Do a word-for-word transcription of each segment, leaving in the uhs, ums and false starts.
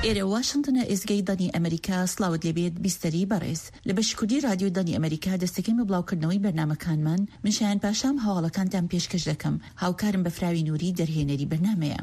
ئێرە واشنتنە، ئێزگەی دەنگی ئەمریکا. سڵاوت لێبێت بیستەری بەڕێز. لە بەشی کوردی رادیۆی دەنگی ئەمریکا دەستەکەین بە بڵاوکردنەوەی بەرنامەکانمان. من شایان پاشام هەواڵەکانتان پێشکەش دەکەم. هاوکارم بەفراوی نوری دەرهێنەری بەرنامەیە.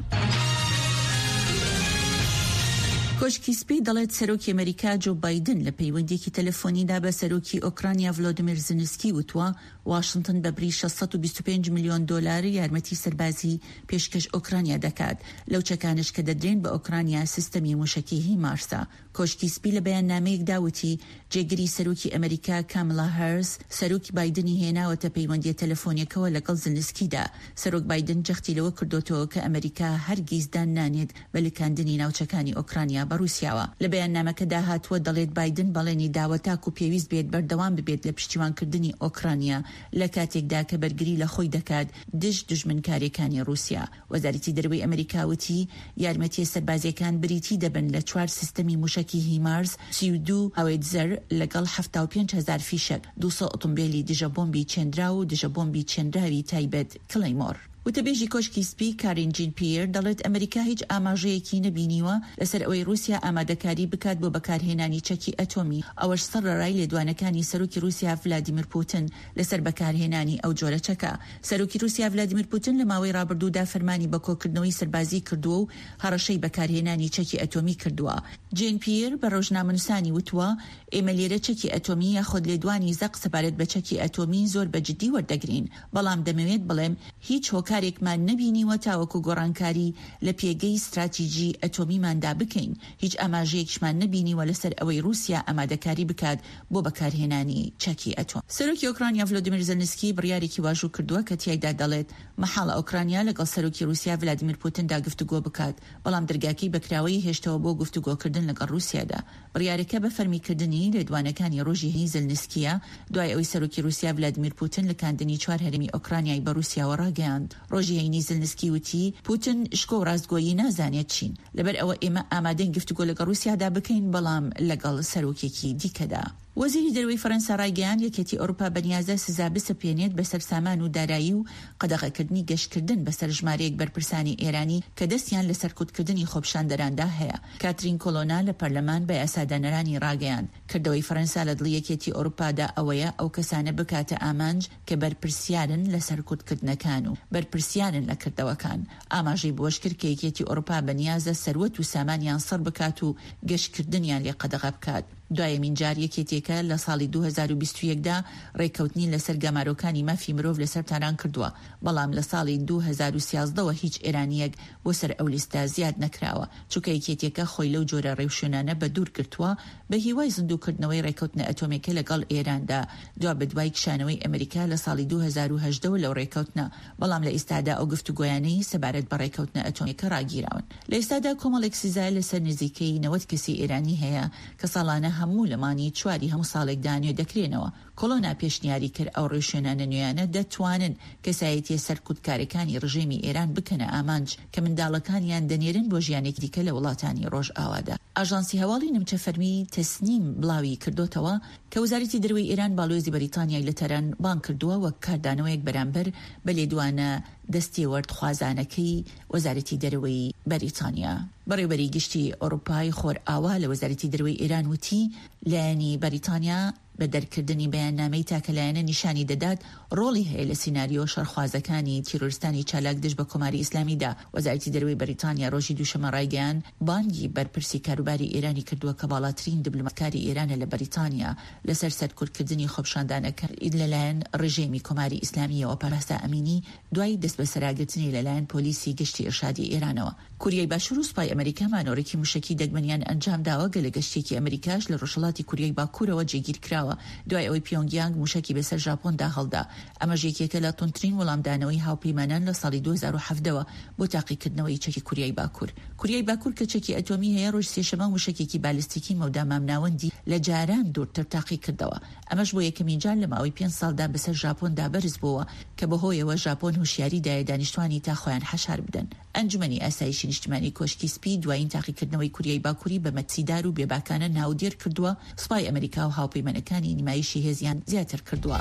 کۆشکی سپی دەڵێت سەرۆکی ئەمریکا جۆ بایدن لە پەیوەندیەکی تەلەفۆنیدا بە سەرۆکی ئۆکرانیا ڤلۆدیمیر زنسکی وتووە واشنتن بە بری شەش سەد و بیست و پێنج ملیۆن دۆلار یارمەتی سەربازی پێشکەش ئۆکرانیا دەکات. لەو چەکانش کە دەدرێن بە ئۆکرانیا سیستەمی موشەکی هیمارسە. کۆشکی سپی لە بەیاننامەیەکدا وتی جێگری سەرۆکی ئەمریکا کاملا هاریس سەرۆکی بایدنی هێناوەتە پەیوەندیە تەلەفۆنیەکەوە لەگەڵ زلنسکیدا. سەرۆک بایدن جەختی لەوە کردوتەوە کە ئەمریکا هەرگیز دان نانێت بە لکاندنی ناوچەکانی ئۆکرانیا بە رووسیاوە. لە بەیاننامەکەدا هاتووە دەڵێت بایدن بەڵێنی داوە تاکو پێویست بێت بەردەوام ببێت لە پشتیوانکردنی ئۆکرانیا لە کاتێکدا کە بەرگری لە خۆی دەکات دژ دوژمنکاریەکانی رووسیا. وەزارەتی دەرەوەی ئەمریکا وتی یارمەتیە سەربازیەکان بریتی دەبن لە چوار سیستەمی موشەکی هیمارس سی و دوو هاوێتزەر لەگەڵ حەفتا و پێنج هەزار فیشەک، دوو سەد ئۆتۆمبیلی دژە بۆمبی چێنراو و دژە بۆمبی چێنراوی تایبەت کلەیمۆر. وتەبێژی کۆشکی سپی کارین جین پییر دەڵێت ئەمریکا هیچ ئاماژەیەکی نەبینیوە لەسەر ئەوەی رووسیا ئامادەکاری بکات بۆ بەکارهێنانی چەکی ئەتۆمی، ئەوەش سەرەڕای لێدوانەکانی سەرۆکی رووسیا ڤلادیمیر پوتن لەسەر بەکارهێنانی ئەو جۆرە چەکە. سەرۆکی رووسیا ڤلادیمیر پوتن لە ماوەی ڕابردوودا فەرمانی بە کۆکردنەوەی سەربازی کردووە و هەڕەشەی بەکارهێنانی چەکی ئەتۆمی کردووە. جین پییر بە ڕۆژنامەنووسانی وتووە ئێمە لێرە چەکی ئەتۆمی یاخود لێدوانی زەق سەبارەت بە چەکی ئەتۆمی زۆر بە جدی وەردەگرین، بەڵام دەمەوێت بڵێم هیچ هۆکارێکمان نەبینیوە تاوەکو گۆڕانکاری لە پێگەی ستراتیژی ئەتۆمیماندا بکەین. هیچ ئاماژەیەکیشمان نەبینیوە لەسەر ئەوەی رووسیا ئامادەکاری بکات بۆ بەکارهێنانی چەکی ئەتۆم. سەرۆکی ئۆکرانیا ڤلۆدیمیر زلنسکی بڕیارێکی واژوو کردووە کە تیایدا دەڵێت مەحاڵە ئۆکرانیا لەگەڵ سەرۆکی رووسیا ڤلادیمیر پوتندا گفتوگۆ بکات، بەڵام دەرگاکەی بەکراوەیی هێشتەوە بۆ گفتوگۆکردن لەگەڵ رووسیادا. بڕیارەکە بە فەرمیکردنی لێدوانەکانی ڕۆژی هەینی زلنسکیە دوای ئەوەی سەرۆکی رووسیا ڤلادیمیر پوتن لکاندنی چوار هەرێمی ئۆکرانیای بە رووسیاوە ڕاگەیاند. ڕۆژی هەینی زلنسکی وتی پوتن شکۆ و ڕاستگۆیی نازانێت چین، لەبەر ئەوە ئێمە ئامادەین گفتوگۆ لەگەڵ رووسیادا بکەین، بەڵام لەگەڵ سەرۆکێکی دیکەدا. وەزیری دەرەوەی فەرەنسا ڕایگەیاند یەکێتی ئەوروپا بەنیازە سزا بسەپێنێت بەسەر سامان و دارایی و قەدەغەکردنی گەشتکردن بەسەر ژمارەیەک بەرپرسانی ئێرانی کە دەستیان لە سەرکوتکردنی خۆپیشاندەراندا هەیە. کاترین کۆلۆنا لە پەرلەمان بە یاسادانەرانی ڕاگەیاند کردەوەی فەرەنسا لە دڵی یەکێتی ئەوروپادا ئەوەیە ئەو کەسانە بکاتە ئامانج کە بەرپرسیارن لە سەرکوتکردنەکان و بەرپرسیارن لە کردەوەکان. ئاماژەی بەوەش کرد کە یەکێتی ئەوروپا بەنیازە سەروەت و سامانیان سڕ بکات و گەشتکردنیان لێ قەدەغە بکات. دوایەمین جار یەکێتیەکە لە ساڵی دوو هەزار و بیست و یەک دا ڕێککەوتنی لەسەر گەمارۆکانی مافی مرۆڤ لەسەر تاران کردووە، بەڵام لە ساڵی دوو هەزار و سیازدەوە هیچ ئێرانیەک بۆ سەر ئەو لیستە زیاد نەکراوە، چونکە یەکێتیەکە خۆی لەو جۆرە ڕێوشوێنانە بە دوور گرتووە بە هیوای زیندووکردنەوەی ڕێککەوتنە ئەتۆمێکە لەگەڵ ئێراندا دوا بەدوای کشانەوەی ئەمریکا لە ساڵی دوو هەزار و هەژدە لەو ڕێککەوتنە، بەڵام لە ئێستادا ئەو گفتوگۆیانەی سەبارەت بە ڕێککەوتنە ئەتۆمێکە ڕاگیراون. لە ئێستادا کۆمەڵێک سزا لەسەر نزیکەی نەوەد کەسی ئێرانی هەیە کە ساڵانە هەموو لە مانگی چواری هەموو ساڵێکدا نوێ دەکرێنەوە. کۆلۆنا پێشنیاری کرد ئەو ڕێوشوێنانە نوێیانە دەتوانن کەسایەتیە سەرکوتکارەکانی ڕژێمی ئێران بکەنە ئامانج کە منداڵەکانیان دەنێرن بۆ ژیانێکی دیکە لە وڵاتانی ڕۆژئاوادا. ئاژانسی هەواڵی نیمچە فەرمی تەسنیم بڵاوی کردوتەوە کە وەزارەتی دەرەوەی ئێران باڵیۆزی بەریتانیای لە تاران بانگ کردووە وەک کاردانەوەیەک بەرامبەر بە لێدوانە دەستێوەردخوازانەکەی وەزارەتی دەرەوەی بەریتانیا. بەڕێوەبەری گشتی ئەوروپای خۆرئاوا لە وەزارەتی دەرەوەی ئێران وتی لایەنی بەریتانیا بە دەرکردنی بەیاننامەی تاکەلایەنە نیشانی دەدات ڕۆڵی هەیە لە سیناریۆ شەڕخوازەکانی تیرۆرستانی چالاک دژ بە کۆماری ئیسلامیدا. وەزارەتی دەرەوەی بەریتانیا ڕۆژی دووشەممە ڕایگەیاند بانگی بەرپرسی کاروباری ئێرانی کردووە کە باڵاترین دیبلۆماتکاری ئێرانە لە بەریتانیا لەسەر سەرکوتکردنی خۆپیشاندانەکان لەلایەن ڕژێمی کۆماری ئیسلامیەوە. مەهسا ئەمینی دوای دەستبەسەراگرتنی لەلایەن پۆلیسی گشتی ئیرشادی ئێرانەوە. کوریای باشوور و سوپای ئەمریکا مانۆرێکی موشەکی دەگمەنیان ئەنجام داوە، گەلە گەشتێکی ئەمریکاش لە ڕۆژهەڵاتی کوریای باکوورەوە جێگیر کراوە دوای ئەوەی پیۆنگیانگ موشەکی بەسەر ژاپۆندا هەڵدا. ئەمەش یەکێکە لە توندترین وەڵامدانەوەی هاوپەیمانان لە ساڵی دوو هەزار و حەڤدە بۆ تاقیکردنەوەی چەکی کوریای باکوور. کوریای باکوور کە چەکی ئەتۆمی هەیە ڕۆژ سێشەممە موشەکێکی بالستیکی مەودا مامناوەندی لە جاران دوورتر تاقی کردەوە. ئەمەش بۆ یەکەمین جار لە ماوەی پێنج ساڵدا بەسەر ژاپۆندا بەرز بووەوە کە بەهۆیەوە ژاپۆن هوشیاری دایە دانیشتوانی تا خۆیان حەشار بدەن. ئەنجومەنی ئاسایشی نیشتمانی کۆشکی سپی دوایین تاقیکردنەوەی کوریای باکووری بە مەترسیدار و بێباکانە ناودێر کردووە. سوپای ئەمریکا و هاوپەیمانەکانی نمایشی هێزیان زیاتر کردووە.